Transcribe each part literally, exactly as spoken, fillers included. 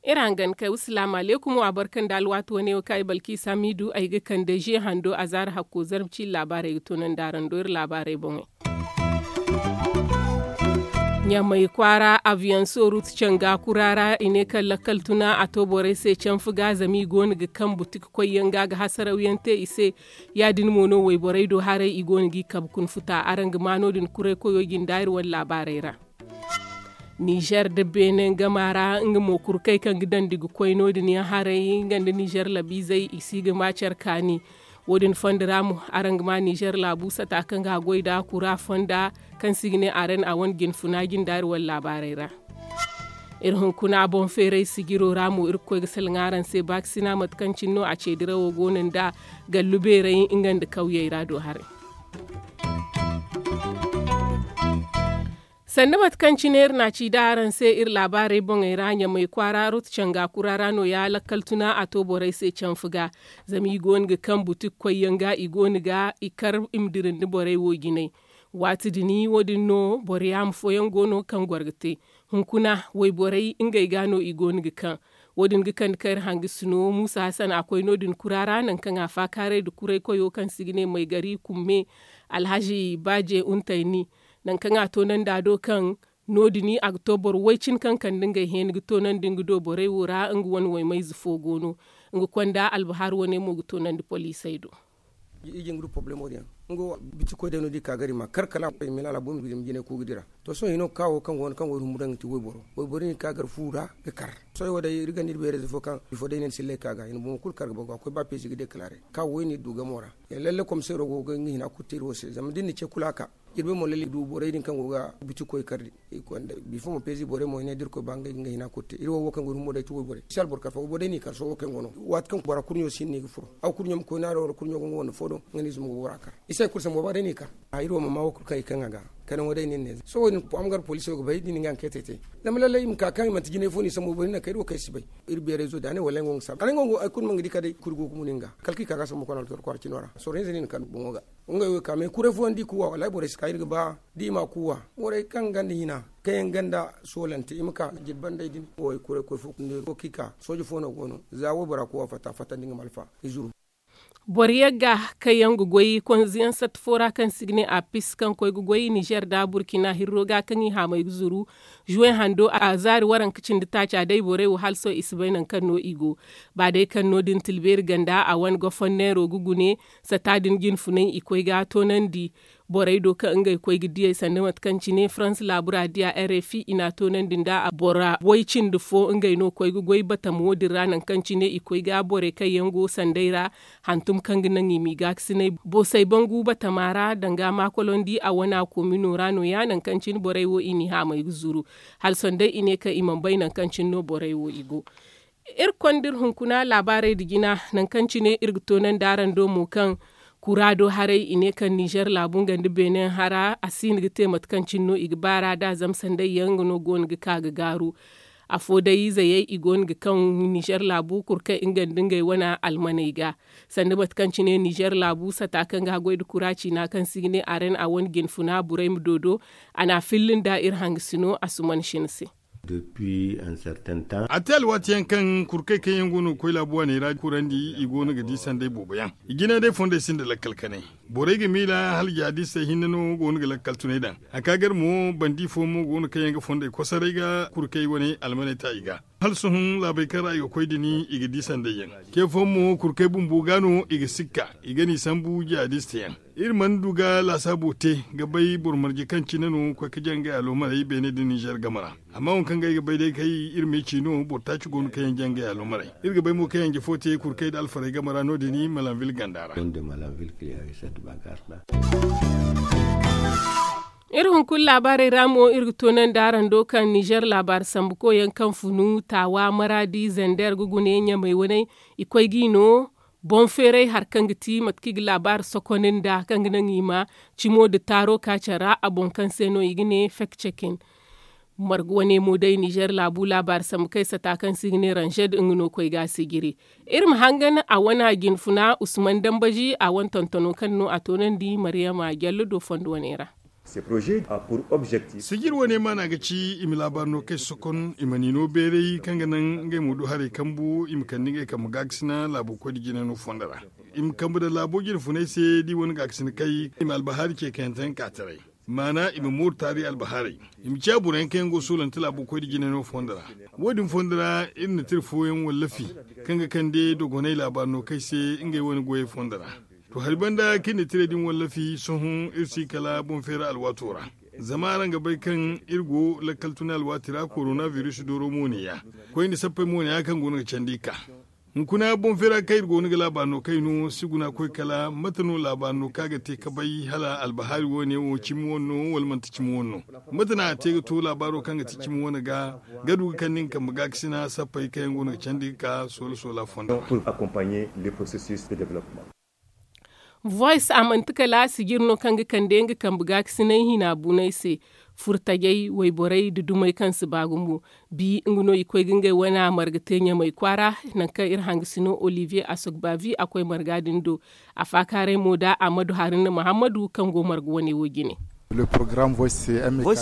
Iri hangan kay wa salaamu aleykum wa barka nda alwaati wane wo kaŋ ay balki samidu ay ga kande ze hando a zaara hakko zarma ciine laabaarey ga toonandi araŋ do iri laabaarey boŋey. Ɲamay kwaara aviyaŋ soorut canga kura ra i ne kaŋ lakkal tuna a to borey se canfu ga zama i go no ga kaŋ butik koyyaŋ ga ga hasarawyaŋ te i se. Ya- din mo no wayborey do haray i go no g'i kabe kuna futa araŋ ga ma no- din kuray koyo jinde iri wane laabaarey ra. Nizer nda beene gama ra nga mo kurkey kaŋ ga dandi ga koy no- din yaŋ haray nga nda nizer labiizey i si ga ma care kaani. Wo- din fondo ra mo araŋ ga ma nizer laabu sata kaŋ ga a goy nd'a kura fonda kaŋ se i ga ne aren a wane jinfuna jinde iri wane laabaarey ra. Iri hunkuna boŋ feeray sijiro ra mo iri ga koy ga salaŋ araŋ se baakasina mate kaŋ cine no a ce dirawo go no nda gallu beeray nga nda kawyey ra do haray. Sanda mate kaŋ cine iri na a ci da araŋ se iri laabaarey boŋey ra ɲamay kwaara rot canga kura ra no- ya lakkal tuna a to borey se canfu ga. Zama i go no ga kaŋ butik koyyaŋ ga i go no ga i kar i ma dirandi borey wo jinay. Waati din wo- din no boro yaama fooyaŋ go no kaŋ goro ga te. Hunkuna wayborey ngey ga no i go no ga kaŋ. Wo- din ga kande kaŋ iri hangasino muusa hasan a koy no- din kura ra nangu kaŋ a faakaaray nda kuray koyo kaŋ se i ga ne maygari kumme alhazi baaje untayni. Nangu kaŋ a toonandi a do kaŋ no- din a ga to boro way- cine kaŋ kande ngey heeni ga toonandi nga do borey wo ra nga wane waymayze fo go no. Nga konda albahar wane mo ga toonandi poliisey do. I jin ga du porobulemo din yaŋ. Nga wo biti koy day no da i ka gar i ma kar kala a koy i ma i laala bumbi ga dima jinay ku ga dira. To sohõ hino ga ka wo kaŋ go no kaŋ wayhumo daŋ ga ti wayboro wayboro din ga ka gar fu ra ga kar. Sohõ wo day iri ganda iri beerayze fo kaŋ bifo day ne ni sillay ka ga i na bomo kulu kar ga bagu a koy ba peezi ga dekalare ka wo i na iri du gamo ra. Lalle komiseero go ga nga hina kulu te iri wo se zama da iri na ce kulu a ka. Iri bay mo lalle i du borey din kaŋ go ga biti koy kar din. Bifo mo peezi borey mo i ne da iri koy ba ngey ga nga hina kulu te iri wo wo kaŋ go iri humbo day ti wayborey si alboro kar fo wayborey no i kar sohõ wo kaŋ go no waati kaŋ bora kurɲo si hin no i ga furo. Aw kurɲo ma koy no a do wala kurɲo ga nga wane fo do nga no i zuma ga bora kar. I se kulu sambu ba day no i kar. Iri wo ma ma wo kulu kaŋ i kaŋ a ga kanaŋo day no iri ne sohõ wo- din fo a ma gar poliso ga bay da i na nga anketey te. Zama lallay i ma ka kaŋ i manti jinay fo no i sambu boro i na kay iri wo kaŋ ay si bay. Iri beerayzo da a ne wallay nga wo ga saabu a ne nga wo ay kulu ma nga di kala day kuri go ga munu nga kala kaŋ i ka ga sambu kwana altor kwaara cino ra sorro hinza no i na kande boŋo ga. Ngey wo ga ka me kuray fooyaŋ da i kuuwa wallaahi borey si ka iri ga ba da i ma a kuuwa. Borey kaŋ ganda hina kaŋ yaŋ ganda soolante i ma ka jirbi bandey din wo i kuray koy fo kunde wo kaŋ i ka sooje fo no go no za waybora kuuwa fatta fattandi nga malfa i zuru. Boro yagga kaŋ yaŋ ga goy konziyaŋ satta fo ra kaŋ se i ga ne apis kaŋ koy ga goy nizer nda burkina hirro ga kaŋ i haamay ga zuru. Zuwe hando a zaari waranka cindi taaca day borey wo hala sohõ i si bay nangu kaŋ no i go. Ba day kaŋ no- din tilbeeri ganda a wane gofonneero ga gune sata din jinfunay i koy ga toonandi. Borey do kaŋ ngey koy ga diyey sanda mate kaŋ cine farans laabu ra diya r f i i na a toonandi nda bora way cindi fo ngey no koy ga goy batamo din ra nangu kaŋ cine i koy ga borey kaŋ yaŋ go sanday ra. Hantum kaŋ ga naŋ i m'i gaakasinay boosay bangu batama ra danga maakolondi a wana komino ra no- ya nangu kaŋ cine borey wo i n'i haamay ga zuru. Hala sohõ day i ne kaŋ i mana bay nangu kaŋ cine no borey wo i go. Iri konda iri hunkuna laabaarey nda jina nangu kaŋ cine iri ga toonandi araŋ do mo kaŋ kura do haray i ne kaŋ nizer laabu nga nda beene hara a si hin ga te mate kaŋ cine no i ga baar'a da zama sanday yaŋ nga no go no ga ka ga gaaru. Afo day zayey i go no ga kaŋ nizer laabu kuru kaŋ nga nda ngey wane almaney ga. Sanda mate kaŋ cine nizer laabu sata kaŋ ga a goy nda kura ciina kaŋ se i ga ne aren a wane jinfuna burey ma doodo. A na a filla nda iri hangasino a suman sina se. A te alwaati yaŋ kaŋ kurkey kaŋ yaŋ go no ga koy laabu waaney ra kurandi i go no ga di sanday boobo yaŋ. I jina day fondey sinda lakkal kanay. Borey ga miila hala jaadistey hinne no go no ga lakkal tunay daŋ. A ka gar mo bandi fo mo go no kaŋ yaŋ ga fondey kosoray ga kurkey wane almaney ta i ga. Hala sohõ laabey kaŋ ra i ga koy din i ga di sanday yaŋ. Ce fooyaŋ mo kurkey bumbo ga no i ga sikka i ga n'i sambu jaadiste yaŋ. Iri mana du ga laasaabo te ga bay boro marje kaŋ cine no koy ga jaŋ ga yaalo maray beene nda nizer game ra. Amma waŋ kaŋ ga ay ga bay day kay iri ma ay ci no boro taaci go no kaŋ yaŋ jaŋ ga yaalo maray. Iri ga bay mo kaŋ yaŋ jefo te kurkey nda alfarey game ra no- din malanvil ganda ra. Iri hunkuna laabaarey ra mo iri ga toonandi araŋ do kaŋ nizer laabaari sambukoyaŋ kaŋ funu taawa maraadi zender ga gune ɲamey waney. I koy g'i no boŋ feeray hari kaŋ ga ti mate kaŋ i ga laabaari sokonay nda kaŋ ga naŋ i ma cimo nda taaro ka care ra a boŋ kaŋ se no i ga ne fek cekin. Marga wane mo day nizer laabu laabaari sambu kay sata kaŋ se i ga ne ranzed nga no koy ga a sijiri. Iri ma hangan a wane a jinfuna usman dambazi a wane tontono kaŋ no a toonandi maryama jallo do fondo wane ra. Sijir wane maana ga ci i ma laabaari no kay sokon i ma ni no beeray kaŋ ga naŋ ngey ma du haray kambu i ma kande ngey kambe gaakasina laabo koy nda jina no fondo ra. I ma kambe daŋ laabo jinfunay se da i wane gaakasina kay i ma albahaari ce kayante yaŋ ka taray. Maana i ma mooru taari albahaarey. I ma ciya boro yaŋ kaŋ yaŋ go ga soolante laabo koy nda jinay no fondo ra. Wo- din fondo ra iri na tira fooyaŋ wallafi kaŋ ga kande dogonay laabaari no kay se ngey wane goyey fondo ra. To hari banda kaŋ iri na tirey din wallafi sohõ iri si kala boŋ feera alwaato ra. Zama araŋ ga bay kaŋ iri go lakkal tuna alwaati ra korona biris dooro mo ne- ya. Koyne sappey mo ne- ya kaŋ go no ga candi ga ka. Hunkuna boŋ feera kaŋ iri go no ga laabaari no kay no si guna koy kala mate no laabaari no kaŋ a ga te ka bay hala albahaari wo- ne wo cimi wane no wala manti cimi wane no? Mate no a te ga to laabaaro kaŋ ga ti cimi wane ga ga du ga kande nga kambe gaakasina sappey kaŋ yaŋ go no ga candi ga ka soola soola fondo ra. Voice a manti kala sijir no kaŋ ga kande nga kambe gaakasinay hina bunay se. Furtajey wayborey nda dumey kaŋ si ba gumo. Bi nga no i koy ga ngey wane marga te ɲamay kwaara. Nangu kaŋ iri hangasino olivier asogbavi a koy marga din do. A faakaaray mo da amadu haruna muhammadu kaŋ go marga wane wo jine. Voice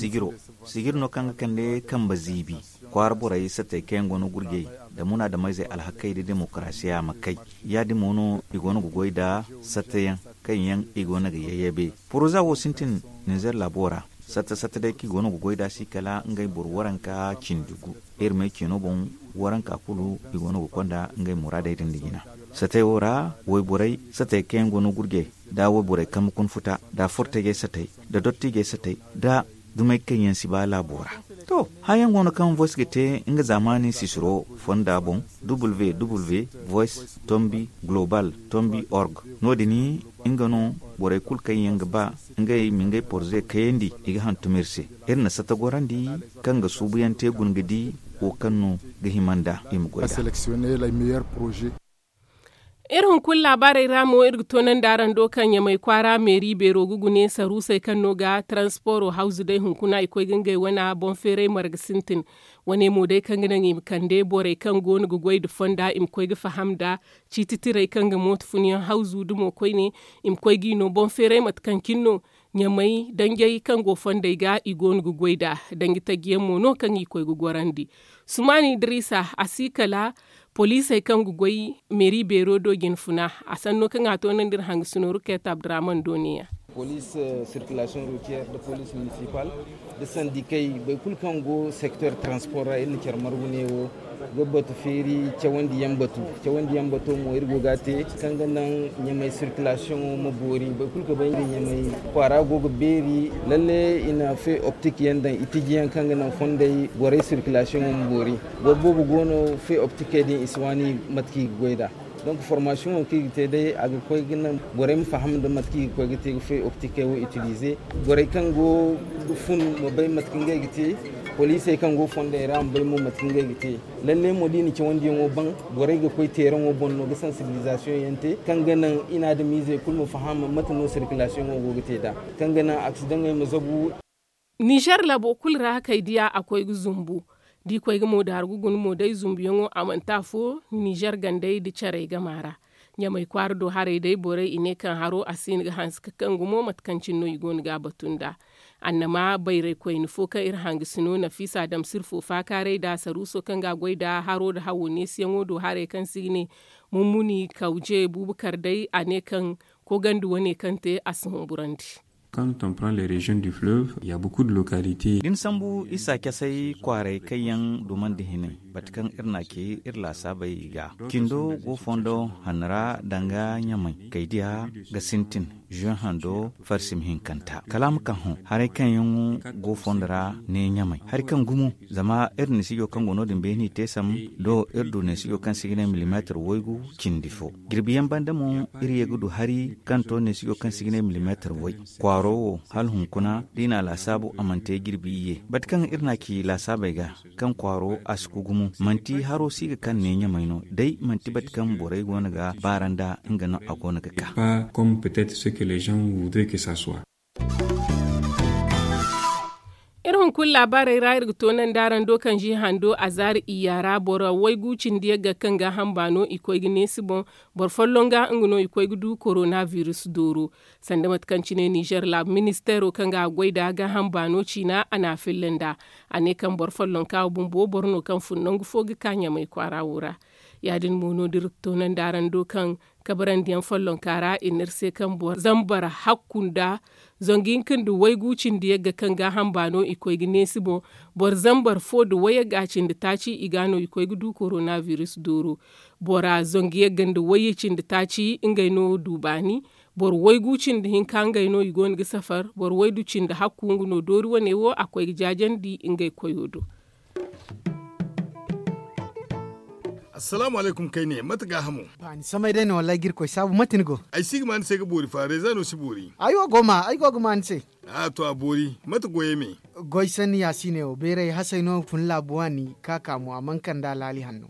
sijiro, sijir no kaŋ ga kande kambe ziibi kwaara borey satey kaŋ yaŋ go no gurjey nda munaadameyzey alhakey nda demokarasiya ma kay. Ya- din mo no i go no ga goy nda sateyaŋ kaŋ yaŋ i go no ga yayyabe. Poroza wo sintin ninzeer laabo ra. Sata sata day kaŋ i go no ga goy nd'a si kala ngey boro waranka cindi gu. Iri may ceeno boŋ waranka kulu i go no ga konda ngey muraadey din da jina. Satey wo ra wayborey satey kaŋ yaŋ go no gurjey nda wayborey kambe kuna futa nda fortajey satey nda dottijey satey nda dumey kaŋ yaŋ si ba laabo ra. To, haya yaŋ go no kaŋ voice ga te nga zaamaani sisiro fonda boŋ. W w w voice tombi global tombi org. No- din nga no borey kulu kaŋ yaŋ ga ba ngey ma ngey porze kayandi i ga hantum iri se. Iri na sata gorandi kaŋ ga suubuyaŋ te guna ga di wo kaŋ no ga hima nd'a i ma goy nd'a. Iri hunkuna laabaarey ra mo iri ga toonandi araŋ do kaŋ ɲamay kwaara meeri beero ga gune saruusey kaŋ no ga taransporo hawzu day hunkuna i koy ga ngey wane boŋ feeray marga sintin. Wane mo day kaŋ ga naŋ i ma kande borey kaŋ go no ga goy nda fonda i ma koy ga faham nda ciiti tirey kaŋ ga mooto funyaŋ hawzu dumo koyne. I ma koy g'i no boŋ feeray mate kaŋ cine no ɲamay danjey kaŋ go fondey ga i go no ga goy nd'a. Danji taji yaŋ mo no kaŋ i koy ga gorandi. Sumaani idiriisa a si kala poliisey kaŋ ga goy meeri beero do jinfuna. A sanno kaŋ a toonandi iri hangasino ruket abdurahman do ne- ya. Poliis sirkilasiyoŋ rutiyeer nda poliis minisipal nda sandikey boro kulu kaŋ go sektor taranspor ra iri na care margu ne wo ga batu feeri cawandi yaŋ batu. Cawandi yaŋ bato mo iri go ga a te kaŋ ga naŋ ɲamay sirkilasiyoŋo ma boori boro kulu ga bay nga ɲamay kwaara go ga beeri. Lalle i na fe optik yaŋ daŋ i tiji yaŋ kaŋ ga naŋ fondey borey sirkilasiyoŋo ma boori. Boro boobo go no fe optikey din i si waani mate kaŋ i ga goy nd'a. Donk formasiyoŋo kaŋ i ga te day a ga koy ga naŋ borey ma faham nda mate kaŋ i ga koy ga te ga fe optikey wo itilize. Borey kaŋ go ga fun ma bay mate kaŋ ngey ga te. Poliisey kaŋ go fondey ra ma bay mo mate kaŋ ngey ga te. Lalle mo da i na cawandiyaŋo baŋ borey ga koy teeraŋo boŋ no ga sansibilizasiyoŋ yaŋ te kaŋ ga naŋ i na adamiizey kulu ma faham mate no sirkilasiyoŋo go ga te nd'a kaŋ ga naŋ aksidaŋey ma zabu. Nizer labo kulu ra kay diya a koy ga zumbu. Da i koy ga mo daaru ga guna mo day zumbuyaŋo a manti afo. Nizer gandey nda carey gama ra ɲamay kwaara do haray day borey i ne kaŋ haro a si hin ga hanse ga kaŋ gumo mate kaŋ cine no i go no ga a batu nd'a. Annama bayraykoyne fo kaŋ iri hangasino nafiisa damsir fo faakaaray nda saruuso kaŋ ga a goy nda haro nda hawo neesiyaŋo do haray kaŋ se i ga ne mummuni kawje buubakar day a ne kaŋ kogandi wane kaŋ te a si humburandi. Quand on prend les régions du fleuve il y a beaucoup de localités. Da ni sambu isa casay kwaaray kaŋ yaŋ dumandi hinay mate kaŋ iri na a ce iri laasaabey ga cindo go fondo hanno ra danga ɲamay kaydiya ga sintin. Zuwe hando farsim hinkanta kala a ma ka hõ haray kaŋ yaŋ go fondo ra ne ɲamay hari kaŋ gumo. Zama iri nisijo kaŋ go no- din beeni te sam do iri du nisijo kaŋ si ga ne milimeetar waygu cindi fo. Jirbiyaŋ banda mo iri ye ga du hari kaŋ to nisijo kaŋ si ga ne milimeetar way. Kwaaro wo hala hunkuna da i na a laasaabu a mana te jirbi iyye bate kaŋ iri na a ci laasaabey ga kaŋ kwaaro a si ku gumo manti haro si ga kaŋ ne ɲamay no day manti bate kaŋ borey go no ga baara nda nga no a go no ga ka. Pas comme peut-être ce que les gens voudraient que ça soit. Iri Kulu laabaarey ra iri ga toonandi araŋ do kaŋ zi hando a zaari iyya ra boro waygu cindi yagga kaŋ gaaham baano i koy ga neesi boŋ. Boro folloŋ ga nga no i koy ga du korona virus dooro. Sanda mate kaŋ cine nizer laabu ministeero kaŋ ga a goy nd'a gaaham baano ciina a n'a filla nd'a. A ne kaŋ boro follonka wo bumbo boro no kaŋ fun nangu fo ga ka ɲamay kwaara wo ra. Ya- din mo no da iri ga toonandi araŋ do kaŋ kabarandiyaŋ follonka ra i ne iri se kaŋ boro zambar hakku nda zangu hinka nda waygu cindi yagga kaŋ gaaham baano i koy ga neesi boŋ. Boro zambar fo nda wayagga cindi taaci i ga no i koy ga du korona virus dooro. Bora zangu yagga nda wayye cindi taaci ngey no du baani. Boro waygu cindi hinka ngey no i go no ga safar. Boro waydu cindi hakku nga no doori wane wo a koy ga jaajandi ngey koyo do. Assalaamu alaykum kayne mate gaahamo? Baani samay day no wallaahi ga iri koy saabu mate ni go? Ay si ga ma ni se ga boori fa reeza no si boori. Ay wo go ma ay go ga ma ni se. A to a boori. Mate goyey me? Goy sanni yaasiine wo beeray hasay no fun laabu waani ka ka mo a mana kande alhaali hanno.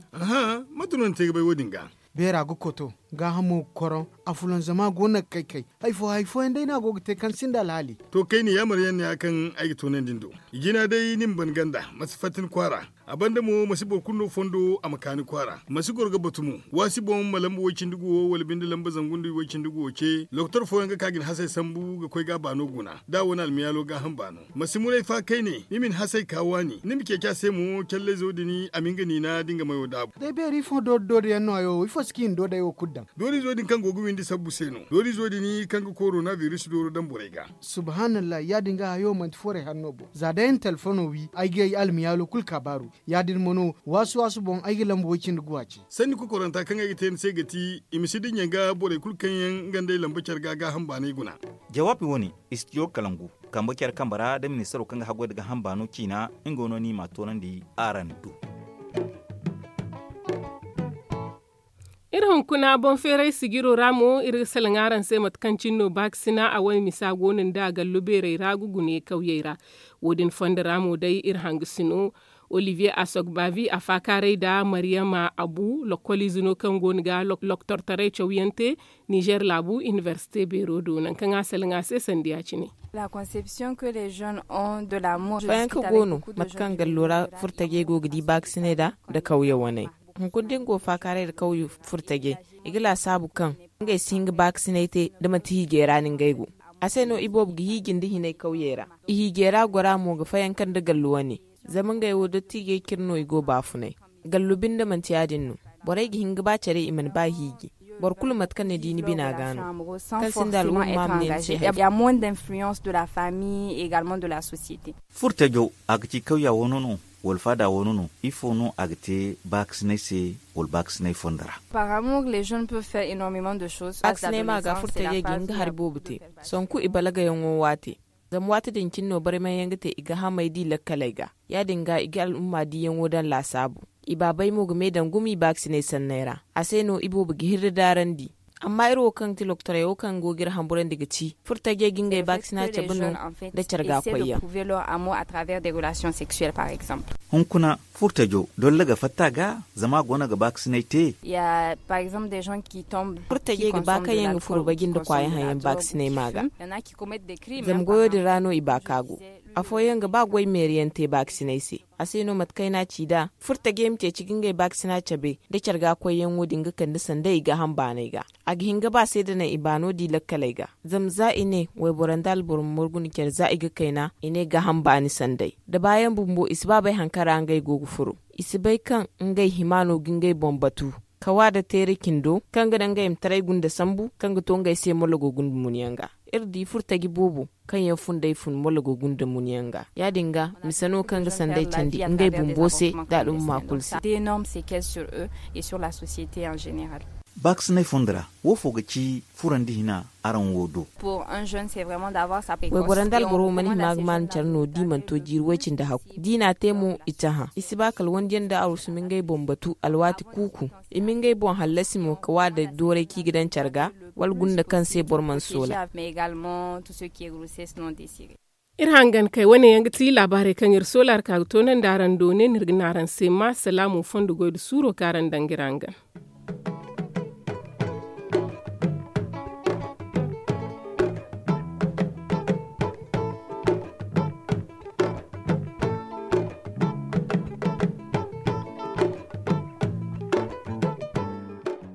Mate no ni te ga bay wo- din ga? Beera ga koto gaahamo ga koroŋ. Afulanzama go no ga kay kay. Hari fo hari fooyaŋ day no a go ga te kaŋ sinda alhaali. To kayne yaamar yaŋ ne ya kaŋ ay ga toonandi ni do. I jina day ni ma ban ganda ma si fatta ni kwaara. A banda mo ma si boro kulu no fondo a ma ka ni kwaara ma si goro ga batu mo. Waasi boŋ ma lamba way- cindi guwo wala binde lamba zangu nda way- cindi guwo ce lokotor fooyaŋ ga ka ga ni hasay sambu ga koy ga a baano guna da a wane almiyaalo gaaham baano. Ma si muray fa kayne ni ma ni hasay ka waani ni ma ceeci a se mo callayzo din a ma hin ga niina da nga mayo daabu. Day beeri ifo doori doori yaŋ no hayo wo ifo si kaŋ i na doodey wo kulu daŋ? Doorizo din kaŋ go ga windi sabbu se no doorizo din kaŋ ga korona biris dooro daŋ borey ga. Subhaanallahi ya- din ga hayo manti forey hanno boŋ za day ay na telefono wi ay ga ay almiyaalo kulu kaabaaru. Ya- din mo no waasu waasu boŋ ay ga lamba way- cindi guwa ce. Sanni kokoranta kaŋ ay ga te ni se ga ti i ma si dinya ga borey kulu kaŋ yaŋ nga nd'ey lamba care ga gaaham baanay guna. Jawaabi wo- ne, istijo kalangu kambe care kambe ra nda ministaro kaŋ ga haggoy nda gaaham baano ciina nga no no ni m'a toonandi araŋ do. Iri hunkuna boŋ feeray sijiro ra mo iri ga salaŋ araŋ se mate kaŋ cine no baakasina a wane misa go no nda gallo beerey ra ga gune kawyey ra. Wo- din fondo ra mo day iri hangasino olivier asogbavi a faakaaray nda maryama abu lokkoliize no kaŋ go no ga loktortaray cawyaŋ te nizer laabu inibersite beero do nangu kaŋ a salaŋ a se sanda ya- cine. Fayanka go no mate kaŋ gallo ra furtajey go ga di baakasinay da nda kawye waney. Hunkuna da ni go faakaaray nda kawye furtajey i ga laasaabu kaŋ ngey si hin ga baakasinay te da manti hiijey ra no ngey go. A se no iboobo ga hiiji nda hinay kawyey ra. Ihiijey ra gora mo ga fayanka nda gallu wane. Zama ngey wo dottiijey cire no i go baafunay. Gallu binde manti ya- din no. Borey ga hin ga ba care i mana ba hiiji. Boro kulu mate kaŋ ni di ni bina ga no. Kaŋ sinda al'umma ma ne ni se hari. Furtajo a ga ci kawya wano no wala faada wano no? Ifo no a ga te baakasinay se wala baakasinay fondo ra? Baakasinay ma ga furtajey ga hin ga hari boobo te. Sanku i balagayaŋo waate. Zama waati din cine no barmay yaŋ ga te i ga hamay di lakkaley ga. Ya- din ga i ga al'umma diyaŋo daŋ laasaabu. I baabey mo ga me daŋ gumo i baakasinay sanney ra. A se no iboobo ga hirri daarandi. Amma iri wo kaŋ ga ti lokotorey wo kaŋ go ga iri hamburandi ga ci furtajey ga ngey baakasina cabe no nda care ga koyyaŋ. Hunkuna furtajo dolla ga fatta ga zama a go no ga baakasinay te. Furtajey ga ba kaŋ yaŋ ga furo baji nda kwaayaŋ haŋyaŋ baakasinay ma ga. Zama goyo din ra no i ba ka go. Afooyaŋ ga ba goy meeriyaŋ te baakasinay se. A se no mate kaŋ ay n'a ci nd'a furtajey ma ceeci ga ngey baakasina cabe nda care ga koyyaŋo din ga kande sanday i gaaham baanay ga. A ga hin ga ba se da naŋ i baano di lakkaley ga. Zama za i ne wayboro nda alboro ma margu nda care za i ga kayna i ne gaaham baani sanday. Da baayaŋ bumbo i si ba bay hari kaŋ ra ngey go ga furo. I si bay kaŋ ngey hima no ga ngey boŋ batu. Kawa nda teere cindo kaŋ ga naŋ ngey ma taray gunda sambu kaŋ ga to ngey se mologo gunda munyaŋ ga. Iri di furtaji boobo kaŋ yaŋ fundey fun mologo gunda munyaŋ ga. Ya- din ga mise no kaŋ ga sanday candi ngey bumbo se nda al'umma kulu se. Baakasinay fondo ra wo fo ga ci furandi hina araŋ wo do? Wayboro nda alboro mana hima ga maanu care no da i mana to jiiri way-cindi hakku da i n'a te mo i cahã i si ba kala wandiyaŋ nda arusumi ngey boŋ batu alwaati kuuku. I ma ngey boŋ hallasi mo ka wa da dooray kaŋ i ga daŋ care ga wala gunda kaŋ se boro mana soola. Iri hangan kay wane yaŋ ga ti laabaarey kaŋ iri soola araŋ ka ga toonandi araŋ do ne no iri ga ne araŋ se ma salaamu fondo goy nda suuro kaŋ araŋ daŋ ga iri hangan.